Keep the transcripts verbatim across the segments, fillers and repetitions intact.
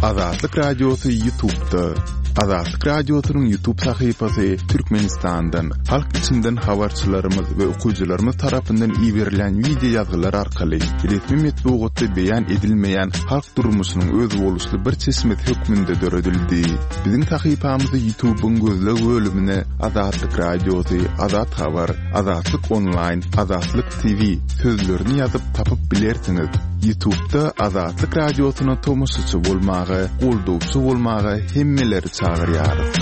Azatlyk Radiosy YouTube'da. Azatlyk Radiosynyň YouTube sahypasy Türkmenistandan, halk içinden habarçylarymyz we okyjylarymyz tarapyndan iberilen wideo ýazgylar arkaly resmi metbugatda beýan edilmeýän halk durmuşynyň özboluşly bir çeşmesi hökmünde döredildi. Biziň sahypamyzy YouTube'yň gözleg bölümine Azatlyk Radiosy, Azat Habar, Azatlyk Online, Azatlyk T V sözlerini ýazyp tapyp bilersiňiz. YouTube'da Azatlyk Radiosyna tomaşaçy bolmaga, goldawçy bolmaga hemmeleri çagyrýarys.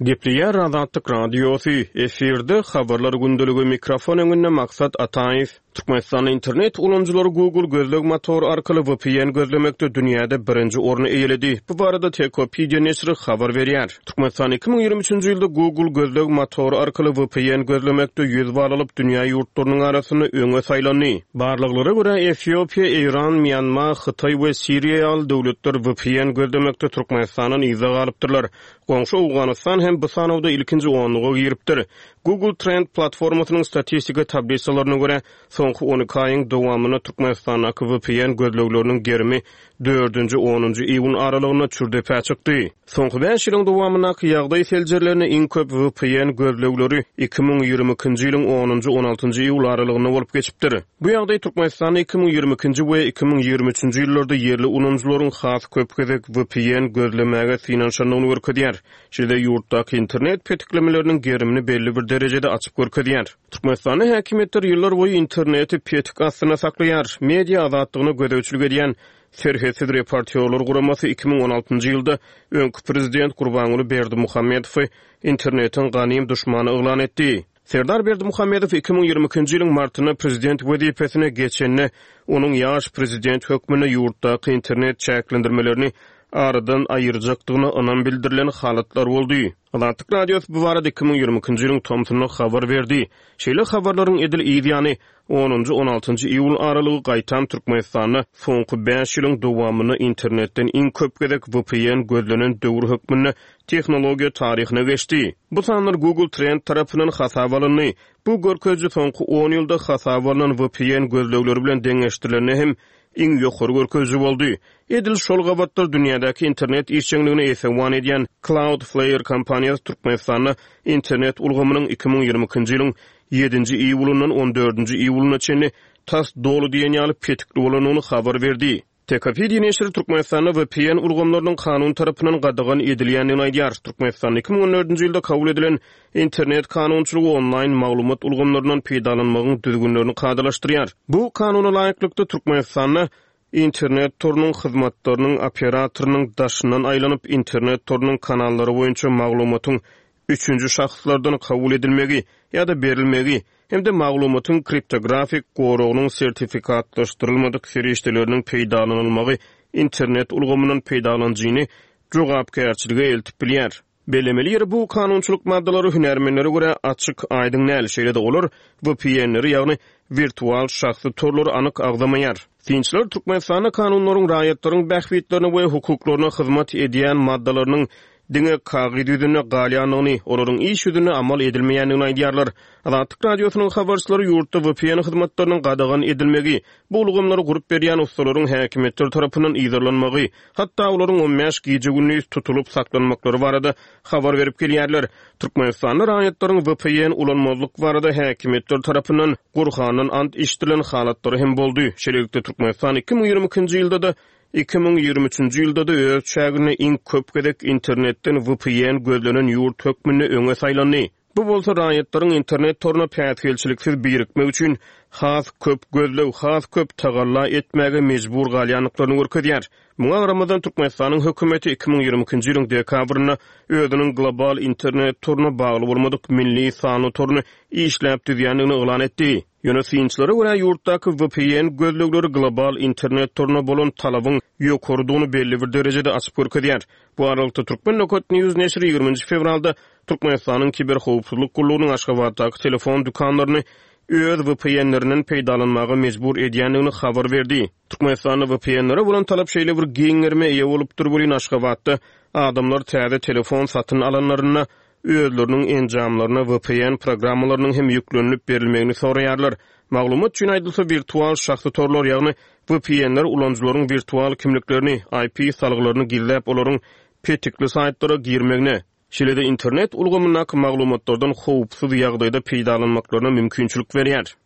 Gepleýär Azatlyk Radiosy, efirde habarlar gündeligi, mikrofon öňünde Maksat Ataýew. Türkmenistanda internet ulanyjylary Google gözleg motory arkaly V P N gözlemekde dünýäde birinji orny eýeledi. Bu barada Techopedia neşiri habar berýär. Türkmenistan iki müň ýigrimi üçünji ýylda Google gözleg motory arkaly V P N gözlemekde ýüz bal alyp, dünýä ýurtlarynyň arasynda öňe saýlandy. Barlaglara görä, Efiopiýa, Eýran, Mýanma, Hytaý we Siriýa ýaly döwletler V P N gözlemekde Türkmenistandan yza galypdyrlar. Goňşy Owganystan hem bu sanawda ilkinji onluga giripdir. Google Trend platformasynyň statistika tablisalaryna görä, soňky on iki aýyň dowamynda Türkmenistandaky V P N gözlegleriniň gerimi dördünji onunjy iýun aralygynda çür depä çykdy. Soňky bäş ýylyň dowamyndaky ýagdaý seljerilende, iň köp V P N gözlegleri iki müň ýigrimi ikinji ýylyň onunjy on altynjy iýul aralygynda bolup geçipdir. Bu ýagdaý Türkmenistanda iki müň ýigrimi ikinji we iki müň ýigrimi üçünji ýyllarda ýerli ulanyjylaryň has köp gezek V P N gözlemäge synanyşandygyny görkezýär. Şeýle ýurtdaky internet petiklemeleriniň gerimini belli bir derejede açyp görkezýär. Türkmenistanda häkimiýetler ýyllar boýy interneti petik astynda saklaýar. Media azatlygyna gözegçilik edýän Serhetsiz reportýorlar guramasy iki müň on altynjy ýylda öňki prezident Gurbanguly Berdimuhamedowy internetiň ganym duşmany yglan etdi. Serdar Berdimuhamedow iki müň ýigrimi ikinji ýylyň martynda prezident wezipesine geçende, onuň ýaş prezident hökmünde ýurtdaky internet çäklendirmelerini aradan aýyrjakdygyna ynam bildirilen halatlar boldy. Azatlyk Radiosy bu barada iki müň ýigrimi ikinji ýylyň tomsunda habar berdi. Şeýle habarlaryň edil yz ýany onunjy on altynjy iýul aralygy gaýtam Türkmenistanda soňky bäş ýylyň dowamynda internetden iň köp gezek V P N gözlenen döwür hökmünde tehnologiýa taryhyna geçdi. Bu sanlar Google Trend tarapyndan hasaba alyndy. Bu görkeziji soňky on ýylda hasaba alynan V P N gözlegleri bilen deňeşdirilende hem iň ýokary görkeziji boldy. Edil şol gabatlar dünýädäki internet işjeňligine esewan edýän Cloudflare kompaniýasy Türkmenistanda internet ulgamynyň iki müň ýigrimi ikinji ýylyň ýedinji iýulyndan on dördünji iýulyna çenli tas doly diýen ýaly petikli bolandygyny habar berdi. Techopedia neşiri Türkmenistanda V P N ulgamlarynyň kanun tarapyndan gadagan edilýändigini aýdýar. Türkmenistanda iki müň on dördünji ýylda kabul edilen internet kanunçylygy onlaýn maglumat ulgamlaryndan peýdalanmagyň düzgünlerini kadalaşdyrýar. Bu kanuna laýyklykda, Türkmenistanda internet torunyň hyzmatlarynyň operatorynyň daşyndan aýlanyp, internet torunyň kanallary boýunça maglumatyň üçünji şahslardan kabul edilmegi ýa-da berilmegi hem-de maglumatyň kriptografik goragynyň sertifikatlaşdyrylmadyk serişdeleriniň peýdalanylmagy internet ulgamyndan peýdalanyjyny jogapkärçilige eltip bilýär. Bellemeli ýeri, bu kanunçylyk maddalary hünärmenlere görä açyk aýdyň däl, şeýle-de olar V P N-leri, ýagny wirtual şahsy torlary anyk agzamaýar. Synçylar Türkmenistanda kanunlaryň raýatlaryň bähbitlerine we hukuklaryna hyzmat edýän maddalarynyň diňe kagyz ýüzünde galýandygyny, olaryň iş ýüzünde amal edilmeýändigini aýdýarlar. Azatlyk Radiosynyň habarçylary ýurtda V P N hyzmatlarynyň gadagan edilmegi, bu ulgamlary gurup berýän ussalaryň häkimiýetler tarapyndan yzarlanmagy, hatda olaryň on bäş gije gündiz tutulyp saklanmaklary barada habar berip gelýärler. Türkmenistanda raýatlaryň V P N ulanmazlyk barada häkimiýetler tarapyndan Gurhandan ant içdirilen halatlary hem boldy. Şeýlelikde, Türkmenistan iki müň ýigrimi ikinji ýylda-da, iki müň ýigrimi üçünji ýylda-da öz çäginde iň köp gezek internetden V P N gözlenen ýurt hökmünde öňe saýlandy. Bu bolsa raýatlaryň internet toruna päsgelçiliksiz birikmek üçin has köp gözleg, has köp tagalla etmäge mejbur galýandyklaryny görkezýär. Muňa garamazdan, Türkmenistanyň hökümeti iki müň ýigrimi ikinji ýylyň dekabrynda özüniň global internet toruna bagly bolmadyk milli sanly toruny işläp düzýändigini yglan etdi. Ýöne synçylara görä, ýurtdaky V P N gözlegleri global internet toruna bolan talabyň ýokarydygyny belli bir derejede açyp görkezýär. Bu aralykda Türkmen Nokat News neşiri ýigriminji fewralda Türkmenistanyň kiberhowpsuzlyk gullugynyň Aşgabatdaky telefon dükanlaryny öz V P N-lerinden peýdalanmaga mejbur edýändigini habar berdi. Türkmenistanda V P N-lere bolan talap şeýle bir giň gerime eýe bolupdyr welin, Aşgabatda adamlar täze telefon satyn alanlarynda özleriniň enjamlaryna V P N programmalarynyň hem ýüklenilip berilmegini soraýarlar. Maglumat üçin aýdylsa, wirtual şahsy torlar, ýagny V P N-ler ulanyjylaryň wirtual kimliklerini, I P salgylaryny gizläp, olaryň petikli saýtlara girmegine, şeýle-de internet ulgamyndaky maglumatlardan howpsuz ýagdaýda peýdalanmaklaryna mümkinçilik berýär.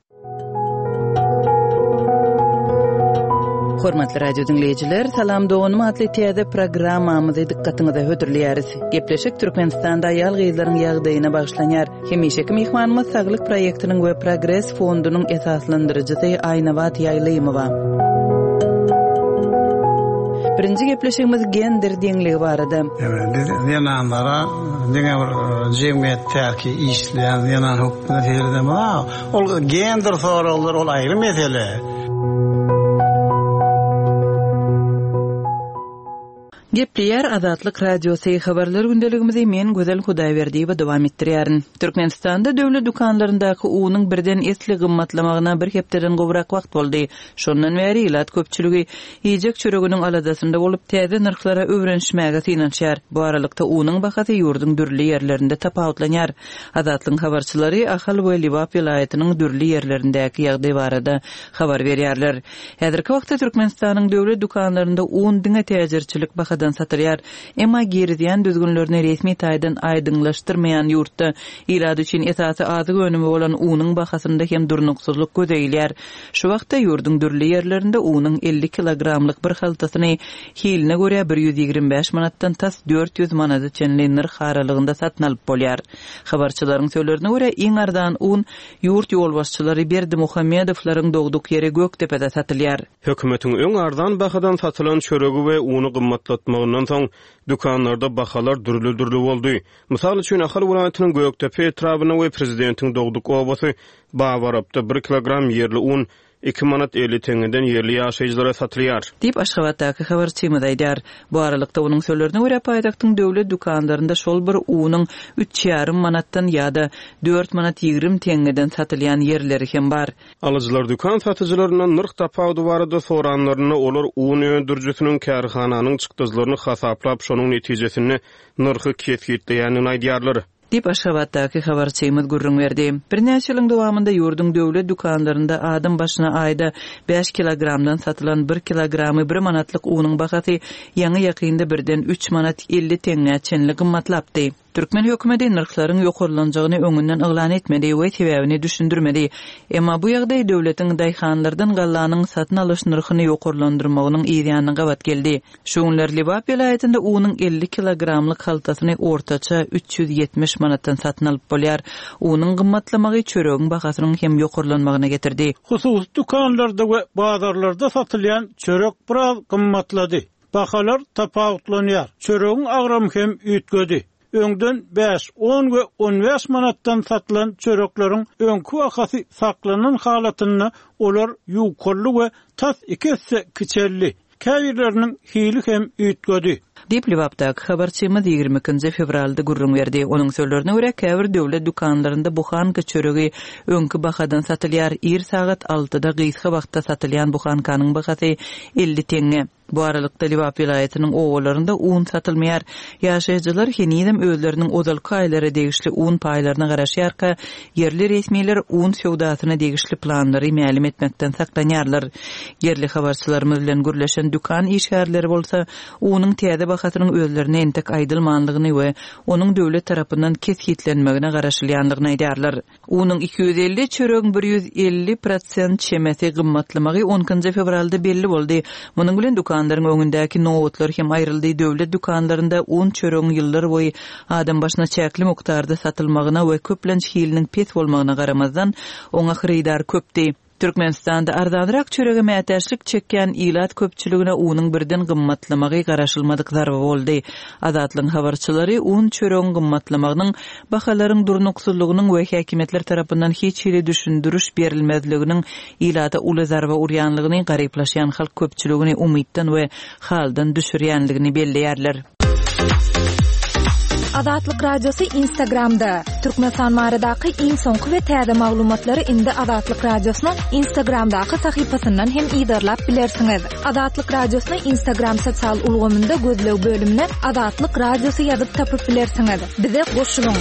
Hormatly radio diňleýjiler, Salam doganym atly täze programmamyzy dykgatyňyza hödürleýäris. Gepleşik Türkmenistanda aýal gyzlaryň ýagdaýyna bagyşlanýar. Hemişeki myhmanymyz Saglyk proýektiniň we Progres fondunyň esaslandyryjysy Aýnabat Ýaýlymowa. Birinji gepleşigimiz gender deňligi barada. Evet, biz zenanlara diňe bir jemgyýetdäki işleýän zenan hökmünde seredemez. Ol gender soraglar, ol aýry mesele. Gepleýär Azatlyk Radiosy, habarlar gündeligimizi men Gözel Hudaýberdiýewa dowam etdirýärin. Türkmenistanda döwlet dükanlaryndaky unuň birden esli gymmatlamagyna bir hepdeden gowrak wagt boldy. Şondan bäri ilat köpçüligi iýjek çöreginiň aladasynda bolup, täze nyrhlara öwrenişmäge synanyşýar. Bu aralykda unuň bahasy ýurduň dürli ýerlerinde tapawutlanýar. Azatlygyň habarçylary Ahal we Lebap welaýatynyň dürli ýerlerindäki ýagdaý barada habar berýärler. Häzirki wagtda Türkmenistanyň döwlet dükanlarynda un diňe täjirçilik bahadan satylýar. Emma girizýän düzgünlerini resmi taýdan aýdyňlaşdyrmaýan ýurtda ilat üçin esasy azyk önümi bolan unuň bahasynda hem durnuksyzlyk göze ilýär. Şu wagtda ýurduň dürli ýerlerinde unuň elli kilogramlyk bir haltasyny hiline görä bir ýüz ýigrimi bäş manatdan tas dört ýüz manada çenli nyrh aralygynda satyn alyp bolýar. Habarçylaryň sözlerine görä, iň arzan un ýurt ýolbaşçylary Berdimuhamedowlaryň dogduk ýeri Gökdepede satylýar. Hökümetiň öň arzan bahadan satylan çöregi we uny gymmatlatmagyndan soň dükanlarda bahalar dürli-dürli boldy. Mysal üçin, Ahal welaýatynyň Gökdepe etrabynda we prezidentiň dogduk obasy Babarapda bir kilogram ýerli un iki manat elli teňňeden ýerli ýaşaýjylara satylýar. Diýip Aşgabatdaky habarçymyz aýdar. Bu aralykda onuň sözlerine görä, paýtagtyň döwlet dükanlarynda şol bir unuň üç ýarym manatdan ýa-da dört manat ýigrimi teňňeden satylýan ýerleri hem bar. Alyjylar dükan satyjylaryndan nyrh tapawudy barada soranlarynda, olar un öndürijisiniň kärhananyň çykdajylaryny hasaplap, şonuň netijesinde nyrhy kesgitleýänini aýdýarlar. Diýip Aşgabatdaky habarçymyz gürrüň berdi. Birnäçe ýylyň dowamynda ýurduň döwlet dükanlarynda adam başyna aýda bäş kilogramdan satylan bir kilogramy bir manatlyk unuň bahasy ýaňy ýakynda birden üç manat elli teňňä çenli gymmatlapdy. Türkmen hökümeti nyrhlaryň ýokarlanjagyny öňünden yglan etmedi we sebäbini düşündirmedi. Emma bu ýagdaý döwletiň daýhanlardan gallanyň satyn alyş nyrhyny ýokarlandyrmagynyň yzýanyna gabat geldi. Şu günler Lebap welaýatynda unuň elli kilogramlyk haltasyny ortaça üç ýüz ýetmiş manatdan satyn alyp bolýar. Unuň gymmatlamagy çöregiň bahasynyň hem ýokarlanmagyna getirdi. Hususy dükanlarda we bazarlarda satylýan çörek biraz gymmatlady. Bahalar tapawutlanýar. Çöregiň agramy hem üýtgedi. Öňden bäş, on we on bäş manatdan satylan çörekleriň öňki bahasy saklanan halatynda olar ýukaldy we tas iki esse kiçeldi. Käbirleriniň hili hem üýtgedi. Diýip Lebapdaky habarçymyz ýigrimi ikinji fewralda gürrüň berdi. Onuň sözlerine görä, käbir döwlet dükanlarynda buhanka çöregi öňki bahadan satylýar. Ir sagat altyda gysga wagtda satylýan buhankanyň bahasy elli teňňe. Bu aralykda Lebap welaýatynyň obalarynda un satylmaýar. Ýaşaýjylar henizem özleriniň ozalky aýlara degişli un paýlaryna garaşýarka, ýerli resmiler un söwdasyna degişli planlary mälim etmekden saklanýarlar. Ýerli habarçylarymyz bilen gürleşen dükan işgärleri bolsa unuň täze bahasynyň özlerine entek aýdylmanlygyny we onuň döwlet tarapyndan kesgitlenmegine garaşylýanlygyny aýdýarlar. Unuň iki ýüz elli, çöregiň bir ýüz elli prosent çemesi gymmatlamagy on ikinji fewralda belli boldy. Munuň bilen dükanlaryň öňündäki nobatlar hem aýryldy. Döwlet dükanlarynda un çöregiň ýyllar boýy adam başyna çäkli mukdarda satylmagyna we köplenç hiliniň pes bolmagyna garamazdan, oňa hyrydar köpdi. Türkmenistanda arzanrak çörege mätäçlik çekýän ilat köpçüligine unuň birden gymmatlamagy garaşylmadyk zarba boldy. Azatlygyň habarçylary un çöregiň gymmatlamagynyň, bahalaryň durnuksyzlygynyň we häkimiýetler tarapyndan hiç hili düşündiriş berilmezliginiň ilata uly zarba urýanlygyny, garyplaşýan halk köpçüligini umytdan we haldan düşürýänligini belleýärler. Azatlyk Radiosy Instagramda. Türkmenistan baradaky iň soňky we täze maglumatlary indi Azatlyk Radiosynyň Instagramdaky sahypasyndan hem yzarlap bilersiňiz. Azatlyk Radiosyny Instagram sosial ulgamynda gözleg bölümine Azatlyk Radiosy ýazyp tapyp bilersiňiz. Bize goşulyň.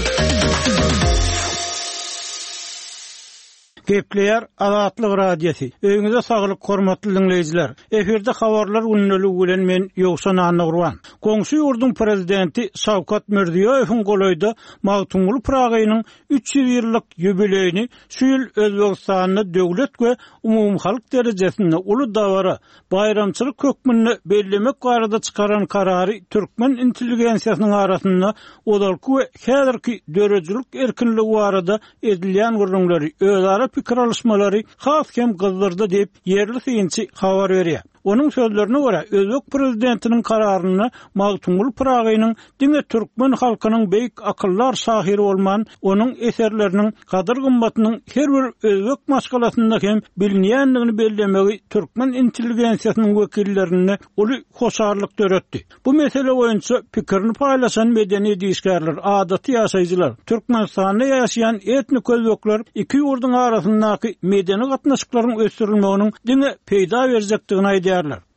Gepleýär Azatlyk Radiosy. Öýüňize saglyk hormatly diňleýjiler. Efirde habarlar gündeligi bilen men Ýowşan Annagurban. Goňşy ýurduň prezidenti Şawkat Mirziýoýewiň golaýda Magtymguly Pyragynyň üç ýüz ýyllyk ýubileýini şu ýyl Özbegistanda döwlet we umumyhalk derejesinde uly dabara, baýramçylyk hökmünde bellemek barada çykaran karary türkmen intelligensiýasynyň arasynda ozalky we häzirki döredijilik erkinligi barada edilýän gürrüňleri, özara pikir alyşmalary has hem gyzdyrdy diýip, ýerli synçy habar berýär. Onuň sözlerine görä, özbek prezidentiniň kararynda Magtymguly Pyragynyň diňe türkmen halkynyň beýik akyldar şahyry bolman, onuň eserleriniň gadyr-gymmatynyň her bir özbek maşgalasynda hem bilinýändigini bellemegi türkmen intelligensiýasynyň wekillerinde uly hoşallyk döretdi. Bu mesele boýunça pikirini paýlaşan medeniýet işgärler, adaty ýaşaýjylar, Türkmenistanda ýaşaýan etnik özbekler iki ýurduň arasyndaky medeni gatnaşyklaryň ösdürilmeginiň diňe peýda berjekdigini aýdýarlar.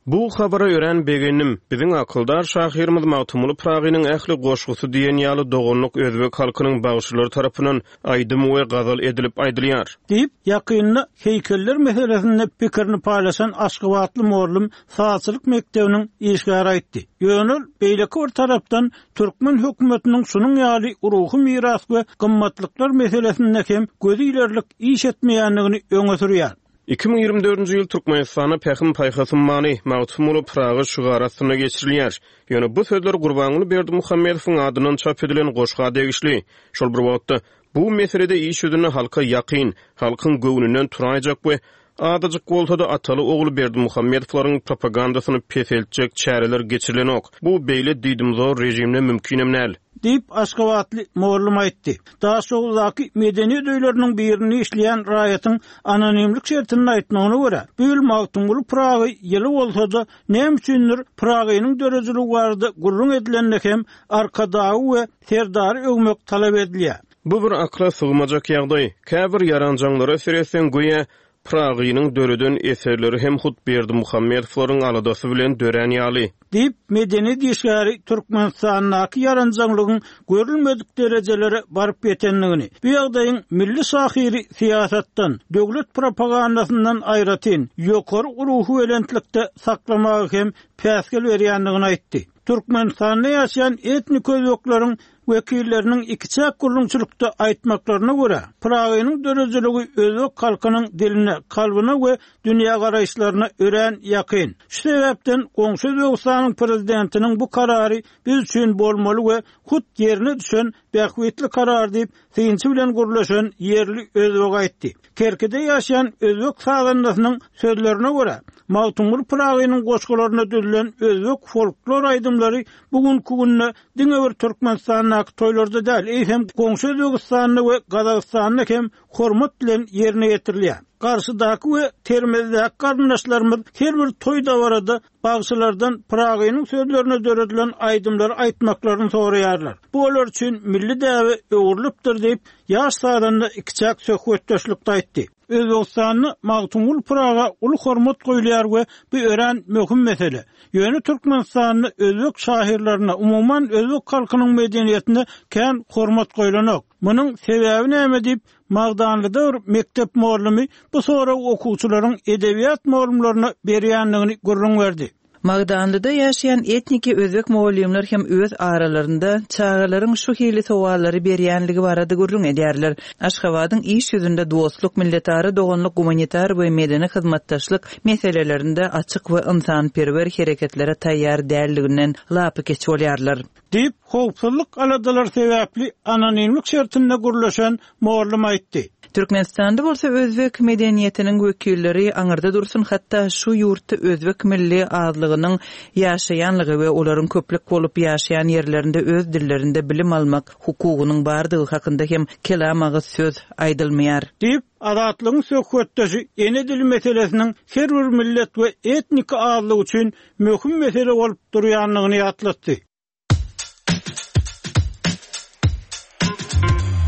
Bu habara örän begendim. Biziň akyldar şahyrymyz Magtymguly Pyragynyň ähli goşgusy diýen ýaly doganlyk özbek halkynyň bagşylary tarapyndan aýdym we gazal edilip aýdylýar. Diýip, ýakynda heýkeller meselesinde pikirini paýlaşan aşgabatly mugallym sazçylyk mekdebiniň işgäri aýtdy. Ýöne ol beýleki bir tarapdan türkmen hökümetiniň şunuň ýaly ruhy miras we gymmatlyklar meselesinde hem gözi ilerlik iş etmeýändigini öňe sürýär. Iki müň ýigrimi dördünji ýyl Türkmenistanda Pähim-paýhas ummany Magtymguly Pyragy şygary astynda geçirilýär. Ýöne bu sözler Gurbanguly Berdimuhamedowyň adyndan çap edilen goşga degişli. Şol bir wagtda, bu meselede iş ýüzünde halka ýakyn, halkyň göwnünden turaýjak we azajyk bolsa-da ataly-ogul Berdimuhamedowlaryň propagandasyny peseltjek çäreler geçirilenok. Bu beýle diýdimzor režimde mümkinem däl. Diýip, aşgabatly mugallym aýtdy. Daşoguzdaky medeniýet öýleriniň birinde işleýän raýatyň anonimlik şertinde aýtmagyna görä, bu ýyl Magtymguly Pyragy ýyly bolsa-da, näme üçindir Pyragynyň döredijiligi barada gürrüň edilende hem Arkadagy we Serdary öwmek talap edilýär. Bu bir akla sygmajak ýagdaý. Käbir ýaranjaňlara seretseň, göýä Pyragynyň döreden eserleri hem hut Berdimuhamedowlaryň aladasy bilen dörän ýaly. Diýip, medeniýet işgäri Türkmenistandaky ýaranjaňlygyň görülmedik derejelere baryp ýetendigini, bu ýagdaýyň milli şahyry syýasatdan, döwlet propagandasyndan aýratyn, ýokary ruhubelentlikde saklamagy hem päsgel berýändigini aýtdy. Türkmenistanda ýaşaýan etnik özbekleriň wekilleriniň ikiçäk gürrüňçilikde aýtmaklaryna görä, Pyragynyň döredijiligi özbek halkynyň diline, kalbyna we dünýägaraýyşlaryna örän ýakyn. Şu sebäpden goňşy Özbegistanyň prezidentiniň bu karary biz üçin bolmaly we hut ýerine düşen bähbitli karar diýip, synçy bilen gürleşen ýerli özbek aýtdy. Kerkide ýaşaýan özbek sazandasynyň sözlerine görä, Magtymguly Pyragynyň goşgularyna düzülen özbek folklor aýdymlary bu günki günde diňe bir Türkmenistandaky toýlarda däl, eýsem goňşy Özbegistanda we Gazagystanda hem hormat bilen ýerine ýetirilýär. Garşydaky we Termezdäki garyndaşlarymyz her bir toý dabarada bagşylardan Pyragynyň sözlerine döredilen aýdymlary aýtmaklaryny soraýarlar. Bu olar üçin milli däbe öwrülipdir diýip, ýaş sazanda ikiçäk söhbetdeşlikde aýtdy. Özbegistanda Magtymguly Pyraga uly hormat goýulýar we bu örän möhüm mesele. Ýöne Türkmenistanda özbek şahyrlaryna, umuman özbek halkynyň medeniýetine kän hormat goýlanok. Munuň sebäbi näme diýip, Magdanlyda bir mekdep mugallymy bu soragy okuwçylaryň edebiýat mugallymlaryna berýändigini gürrüň berdi. Magdanlyda ýaşaýan etniki özbek mugallymlar hem öz aralarynda çagalaryň şu hili sowallary berýänligi barada gürrüň edýärler. Aşgabadyň iş ýüzünde dostluk, milletara doganlyk, gumanitar we medeni hyzmatdaşlyk meselelerinde açyk we ynsanperwer hereketlere taýýar däldiginden lapykeç bolýarlar. Diýip, howpsuzlyk aladalary sebäpli anonimlik şertinde gürleşen mugallym aýtdy. Türkmenistanda bolsa özbek medeniýetiniň wekilleri aňyrda dursun, hatda şu ýurtda özbek milli azlygynyň ýaşaýanlygy we olaryň köplük bolup ýaşaýan ýerlerinde öz dillerinde bilim almak hukugynyň bardygy hakynda hem kelam agyz söz aýdylmaýar. Diýip, Azatlygyň söhbetdeşi ene dili meselesiniň her bir millet we etnik azlyk üçin möhüm mesele bolup durýandygyny ýatlatdy.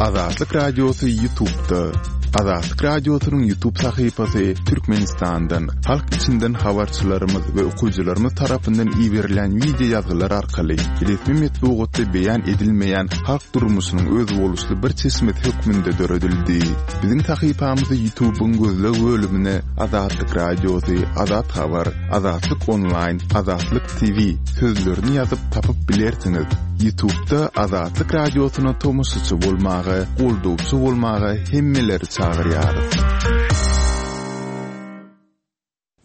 Azatlyk Radiosy YouTube'da. Azatlyk Radiosynyň YouTube sahypasy Türkmenistandan, halk içinden habarçylarymyz we okyjylarymyz tarapyndan iberilen wideo ýazgylar arkaly resmi metbugatda beýan edilmeýän halk durmuşynyň özboluşly bir çeşmesi hökmünde döredildi. Biziň sahypamyzy YouTube'yň gözleg bölümine Azatlyk Radiosy, Azat Habar, Azatlyk Online, Azatlyk T V sözlerini ýazyp tapyp bilersiňiz. YouTube'da Azatlyk Radiosyna tomaşaçy bolmaga, goldawçy bolmaga hemmeleri çagyrýarys.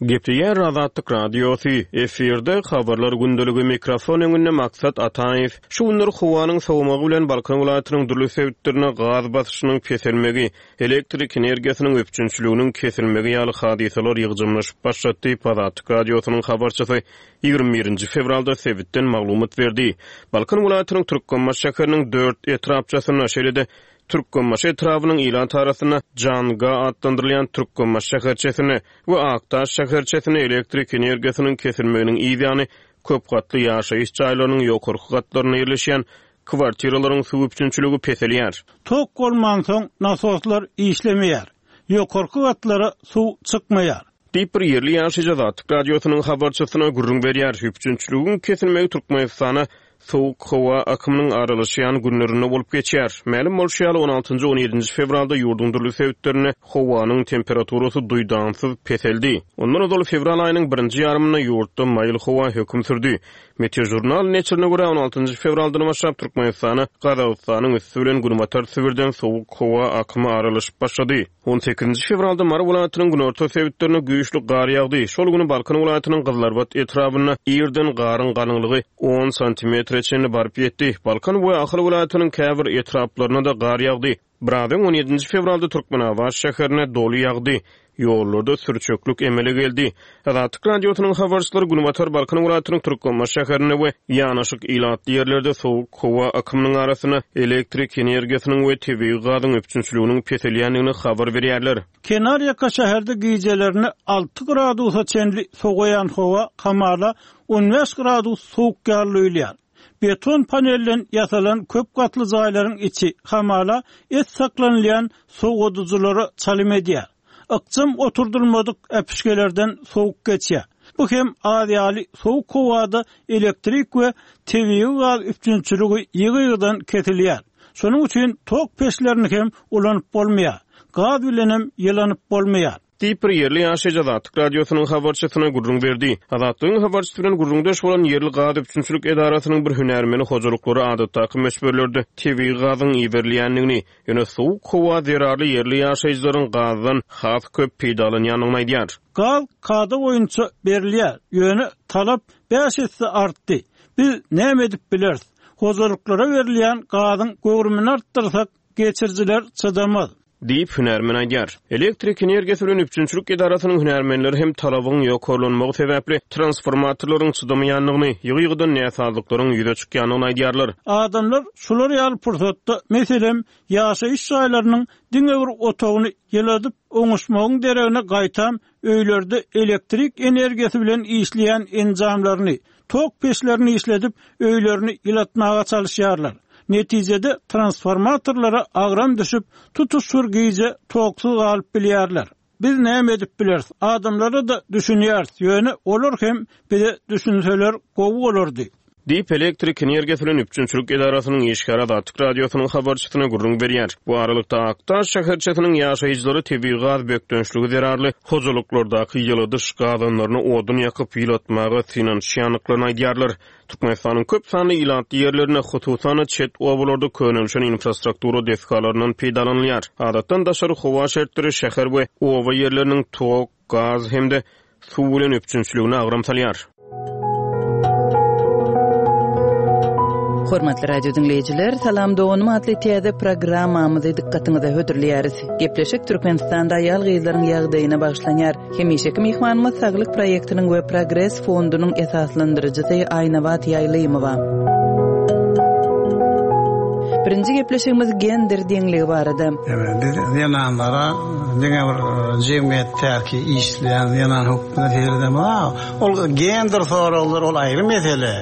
Gepleýär Azatlyk Radiosy, efirde habarlar gündeligi, mikrofon öňünde Maksat Ataýew. Şu günler howanyň sowmagy bilen Balkan welaýatynyň dürli sebitlerine gaz basyşynyň peselmegi, elektrik energiýasynyň üpjünçiliginiň kesilmegi ýaly hadysalar ýygjamlaşyp başlady diýip, Azatlyk Radiosynyň habarçysy ýigrimi birinji fewralda sebitden maglumat berdi. Balkan welaýatynyň Türkmenbaşy şäheriniň dört etrapçasynda, şeýle-de Türkmenbaşy etrabynyň ilat arasynda Janga atlandyrylýan Türkmenbaşy şäherçesinde we Akdaş şäherçesinde elektrik energiýasynyň kesilmeginiň ýany köp gatly ýaşaýyş jaýlarynyň ýokarky gatlarynda ýerleşýän kwartiralaryň suw üpjünçiligi peselýär. Tok bolmansoň nasoslar işlemeýär. Ýokarky gatlara suw çykmaýar. Diýip bir ýerli ýaşaýjy Azatlyk Radiosynyň habarçysyna gürrüň berýär. Üpjünçiligiň kesilmegi Türkmenistana soğuk howa akymynyň aralaşýan günlerinde bolup geçýär. Mälim bolşy ýaly, on altynjy on ýedinji fewralda ýurduň dürli sebitlerinde howanyň temperaturasy duýdansyz peseldi. Ondan ozal fewral aýynyň birinji ýarymynda ýurtda maýyl howa höküm sürdi. Meteorjurnal neşirine görä on altynjy fewraldan başlap Türkmenistana Gazagystanyň üstü bilen günbatar Sibirden soğuk howa akymy aralaşyp başlady. on sekizinji fewralda Mary welaýatynyň günorta sebitlerine güýçli gar ýagdy. Şol günü Balkan welaýatynyň Gyzlarbat etrabynda ýerden garyň galyňlygy on santimetre çenli baryp ýetdi. Balkan we Ahal welaýatynyň käbir etraplaryna da gar ýagdy. Birazyň on ýedinji fewralda Türkmenabat şäherine doly ýagdy. Ýollarda sürçeklik emele geldi. Azatlyk Radiosynyň habarçylary Günbatar Balkan welaýatynyň Türkmenbaşy şäherinde we ýanaşyk ilatly ýerlerde soğuk howa akymynyň arasynda elektrik energiýasynyň we tebigy gazyň üpjünçiliginiň peselýändigini habar berýärler. Kenarýaka şäherde gijelerini alty gradusa çenli sowaýan howa kamala on bäş gradus soğuk ýaly duýulýar. Beton panelden ýasalan köp gatly jaýlaryň içi hamala et saklanylýan sowadyjylara çalym edýär. Ykjam oturdulmadyk äpişgelerden soğuk geçýär. Bu hem aziýaly soğuk howada elektrik we tebigy gaz üpjünçiligi ýygy-ýygydan kesilýär. Şonuň üçin tok peçlerini hem ulanyp bolmaýar. Gaz bilen hem ýylanyp bolmaýar. Diýip bir ýerli ýaşaýjy Azatlyk Radiosynyň habarçysyna gürrüň berdi. Azatlygyň habarçysy bilen gürrüňdeş bolan ýerli gaz üpjünçilik edarasynyň bir hünärmeni hojalyklary adatdaky möçberlerde tebigy gazyň iberilýändigini, ýöne soğuk howa zerarly ýerli ýaşaýjylaryň gazdan has köp peýdalanýandygyny aýdýar. Gaz kada boýunça berilýär, ýöne talap bäş esse artdy. Biz näme edip bileris? Hojalyklara berilýän gazyň göwrümini artdyrsak, geçirijiler çydamaz. Diýip hünärmen aýdýar. Elektrik energiýasy bilen üpjünçilik edarasynyň hünärmenleri hem talabyň ýokarlanmagy sebäpli transformatorlaryň çydamaýandygyny, ýygy-ýygydan näsazlyklaryň ýüze çykýandygyny aýdýarlar. Adamlar şular ýaly pursatda, meselem, ýaşaýyş jaýlarynyň diňe bir otagyny ýyladyp oňuşmagyň deregine gaýtam öýlerde elektrik energiýasy bilen işleýän enjamlaryny, tok peçlerini işledip öýlerini ýylatmaga çalyşýarlar. Netijede transformatorlara agram düşüp, tutuş bir gije toksuz galyp bilýärler. Biz näme edip bileris? Adamlara da düşünýäris. Ýöne olar hem bize düşünseler gowy bolardy. Diýip elektrik energiýasy bilen üpjünçilik edarasynyň işgäri Azatlyk Radiosynyň habarçysyna gürrüň berýär. Bu aralykda Akdaş şäherçesiniň ýaşaýjylary tebigy gaz bökdençligi zerarly hojalyklardaky ýyladyş gazanlaryny odun ýakyp ýylatmaga synanyşýandyklaryny aýdýarlar. Türkmenistanyň köp sanly ilatly ýerlerinde, hususan çet obalarda könelişen infrastruktura desgalaryndan peýdalanylýar. Adatdan daşary howa şertleri şäher we oba ýerleriniň tok, gaz hem-de suw bilen üpjünçiligine agram salýar. Hormatly radio dinleýjiler, Salam doganym atly täze programmamyzy dykgatyňyza hödürleýäris. Gepleşik Türkmenistanda aýal gyzlaryň ýagdaýyna bagyşlanýar. Hemişeki myhmanymyz Saglyk proýektiniň we Progres fondunyň esaslandyryjysy Aýnabat Ýaýlymowa. Birinji gepleşigimiz gender deňligi barada. Evet, biz zenanlara diňe bir jemgyýetdäki işleýän zenan hökmünde seredemez. Ol gender soraglar ol aýry mesele.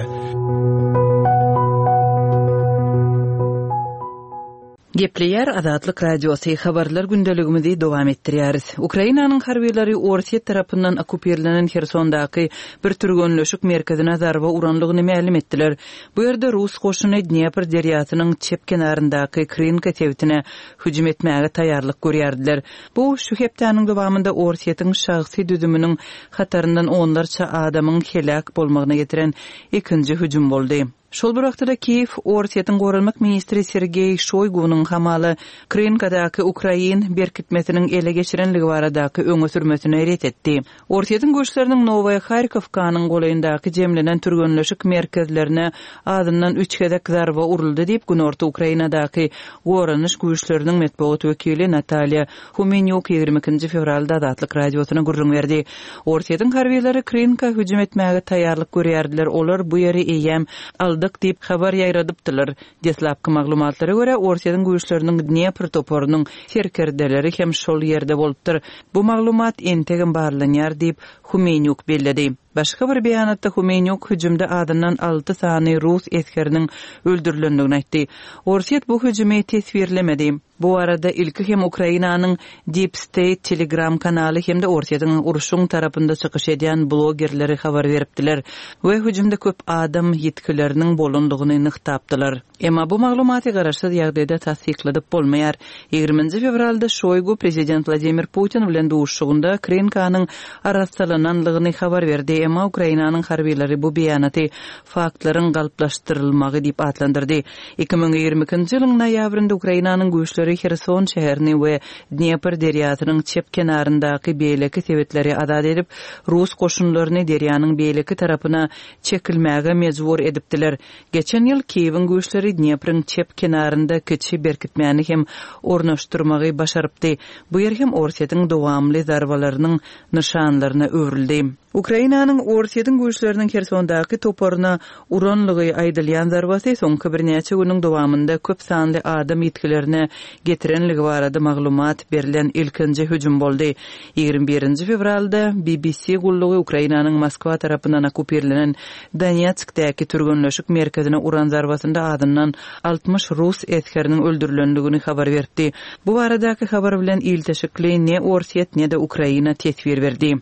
Gepleýär Azatlyk Radiosy, habarlar gündeligimizi dowam etdirýäris. Ukrainanyň harbylary Orsýet tarapyndan okkupirlenen Hersondaky bir türgenleşik merkezine zarba uranlygyny mälim etdiler. Bu ýerde rus goşuny Dnepr derýasynyň çep kenaryndaky Krynka sebitine hüjüm etmäge taýýarlyk görýärdiler. Bu şu hepdäniň dowamynda Orsýetiň şahsy düzüminiň hataryndan onlarça adamyň heläk bolmagyna getiren ikinji hüjüm boldy. Şol bir wagtda Kiýew Orsýetiň goranmak ministri Sergeý Şoýgunyň hamala Krynkadaky ukrain berkitmesiniň ele geçirenligi baradaky öňe sürmesini ret etdi. Orsýetiň güýçleriniň Nowaýa Harkowkanyň golaýyndaky jemlenen türgenleşik merkezlerine azyndan üç gezek zarba uruldy diýip, Günorta Ukrainadaky goranyş güýçleriniň metbugat wekili Natalýa Humenýuk ýigrimi ikinji fewralda Azatlyk Radiosyna gürrüň berdi. Orsýetiň harbylary Krynka hüjüm etmäge taýýarlyk görýärdiler, olar bu ýeri eýýäm aldyk diýip habar ýaýradypdylar. Deslapky maglumatlara görä, Orsýetiň güýçleriniň Dnepr toparynyň serkerdeleri hem şol ýerde bolupdyr. Bu maglumat entegem barlanýar diýip, Humenýuk belledi. Başga bir beýanatda Humenýuk hüjümde azyndan alty sany rus esgeriniň öldürilendigini aýtdy. Orsýet bu hüjümi teswirlemedi. Bu arada ilki hem Ukrainanyň Deep State Telegram kanaly hem-de Orsýetiň urşuň tarapynda çykyş edýän blogerleri habar beripdiler we hüjümde köp adam ýitgileriniň bolandygyny nygtapdylar. Emma bu maglumaty garaşsyz ýagdaýda tassykladyp bolmaýar. Ýigriminji fewralda Şoýgu prezident Wladimir Putin bilen duşuşygynda Krynkanyň arassalananlygyny habar berdi, emma Ukrainanyň harbylary bu beýanaty faktlaryň galplaşdyrylmagy diýip atlandyrdy. Iki müň ýigrimi ikinji ýylyň noýabrynda Ukrainanyň güýçleri Herson şäherini we Dnepr derýasynyň çep kenaryndaky beýleki sebitleri azat edip, rus goşunlaryny derýanyň beýleki tarapyna çekilmäge mejbur edipdiler. Geçen ýyl Kiýewiň güýçleri Dnepriň çep kenarynda kiçi berkitmäni hem ornaşdyrmagy başarypdy. Bu ýer hem Orsýetiň dowamly zarbalarynyň nyşanlaryna öwrüldi. Ukrainanyň Orsýetiň güýçleriniň Hersondaky toparyna uranlygy aýdylýan zarbasy soňky birnäçe günüň dowamynda köp sanly adam ýitgilerine getirenligi barada maglumat berlen ilkinji hüjüm boldy. Ýigrimi birinji fewralda B B C gullugy Ukrainanyň Moskwa tarapyndan okkupirlenen Donetskdäki türgenleşik merkezine uran zarbasynda azyndan altmyş rus esgeriniň öldürilendigini habar berdi. Bu baradaky habar bilen ilteşikli ne Orsýet ne de Ukraina teswir berdi.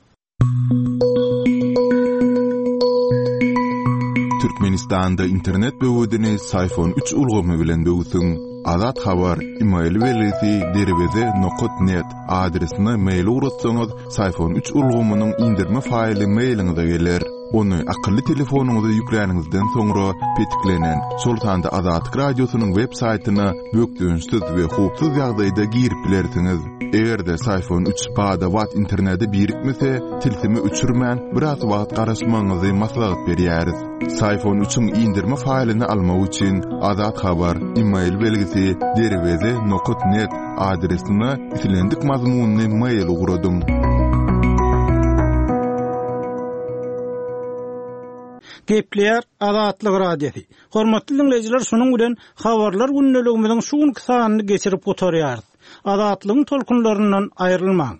Türkmenistanda internet böwedini Syfon üç ulgamy bilen böwsüň. Azat Habar, e-mail belgisi derweze nokat net adresine mail ugratsaňyz, Syfon üç ulgamynyň indirme faýly mailiňize geler. Ony akylly telefonyňyza ýükläniňizden soňra petiklenen, şol sanda Azatlyk Radiosynyň web saýtyna bökdençsiz we howpsuz ýagdaýda girip bilersiňiz. Eger-de Syfon üç bada-bat internete birikmese, tilsimi öçürmän biraz wagt garaşmagyňyzy maslahat berýäris. Syfon üçiň indirme faýlyny almak üçin Azat Habar, e-mail belgisi derweze nokat net adresine islendik mazmunyny mail ugradyň. Gepleýär Azatlyk Radiosy. Hormatly dinleýjiler, şunuň bilen habarlar gündeligimiziň şu günki sanyny geçirip gutarýarys. Azatlygyň tolkunlaryndan aýrylmaň.